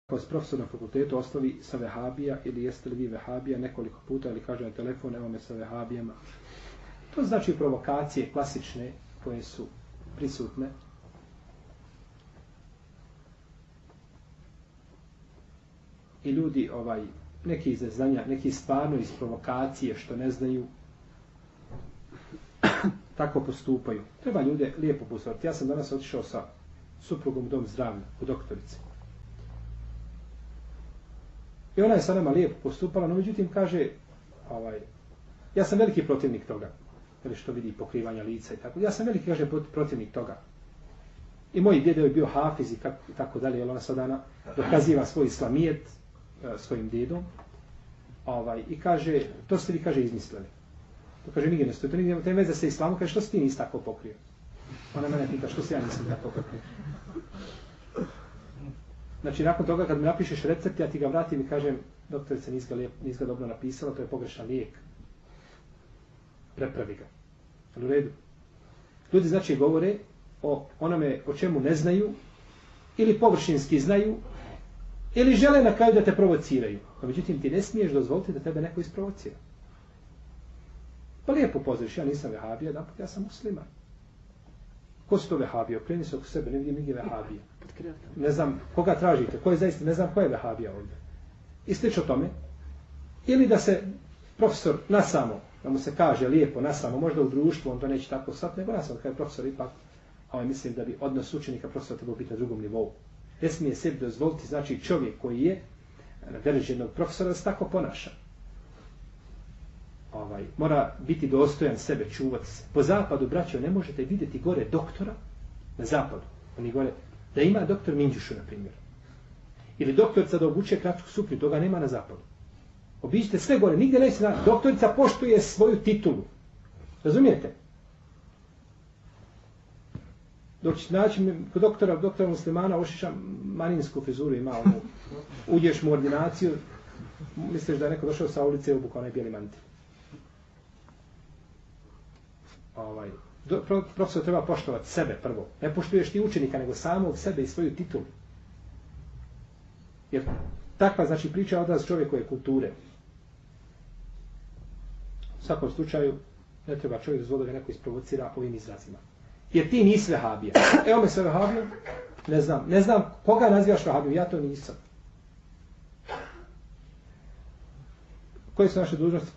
Vas profesor na fakultetu ostavi sa vehabija ili jeste li vi vehabija nekoliko puta ili kaže na telefon evo me sa vehabijama. To znači provokacije klasične koje su prisutne. I ljudi neki iz neznanja, neki stvarno iz provokacije što ne znaju tako postupaju. Treba ljude lijepo pozoriti. Ja sam danas otišao sa suprugom u dom zdravlja, u doktorici. I ona je sa nama lijepo postupala, no međutim kaže, ja sam veliki protivnik toga, ili što vidi pokrivanja lica i tako. Ja sam veliki, kaže, protivnik toga. I moj djedo je bio hafiz i tako dalje, jer ona sada dokaziva svoj islamijet svojim djedom. I kaže, to ste vi, kaže, izmislili. To kaže, nigdje ne stoji, to nigdje ne veze sa islamom, kaže, što si ti nisi tako pokrio? Ona mene pita, što si ja nisam tako pokrio? Znači, nakon toga, kad mi napišeš recept, ja ti ga vratim i kažem, doktorice, nisi ga dobro napisala, to je pogrešan lijek. Prepravi ga. Ali u redu. Ljudi, znači, govore o onome o čemu ne znaju, ili površinski znaju, ili žele na kraju da te provociraju. No, međutim, ti ne smiješ dozvoliti da tebe neko isprovocira. Pa lijepo pozoriš, ja nisam vehabija, ja sam musliman. Ko su to vehabije? Okreni se oko sebe, ne vidim nigdje vehabije. Ne znam koga tražite, ko je zaista, ne znam ko je vehabija ovdje. I slično tome. Ili da se profesor nasamo, da mu se kaže lijepo nasamo, možda u društvu, on to neće tako sad, nego nasamo, kada je profesor ipak, mislim da bi odnos učenika profesora trebao biti na drugom nivou. Ne smije sebi dozvoliti, znači čovjek koji je na dereži jednog profesora da se tako ponaša. Mora biti dostojan sebe, čuvati se. Po zapadu, braćo, ne možete vidjeti gore doktora na zapadu. Oni gore, da ima doktor Minđušu, na primjer. Ili doktorica da obuče kratku suknju, toga nema na zapadu. Obiđite sve gore, nigdje neće na... Doktorica poštuje svoju titulu. Razumijete? Dok će naći kod doktora muslimana ošiša maninsku frizuru, ima uđeš mu ordinaciju, misliš da je neko došao sa ulice i obukao onaj bijeli mantil. Profesor treba poštovati sebe prvo. Ne poštuješ ti učenika, nego samog sebe i svoju titulu. Jer takva, znači, priča je odraz čovjekove kulture. U svakom slučaju, ne treba čovjek dozvoliti da ga neko isprovocira ovim izrazima. Jer ti nisi vehabija. Evo me sve vehabija, ne znam koga nazivaš vehabijom, ja to nisam. Koje su naše dužnosti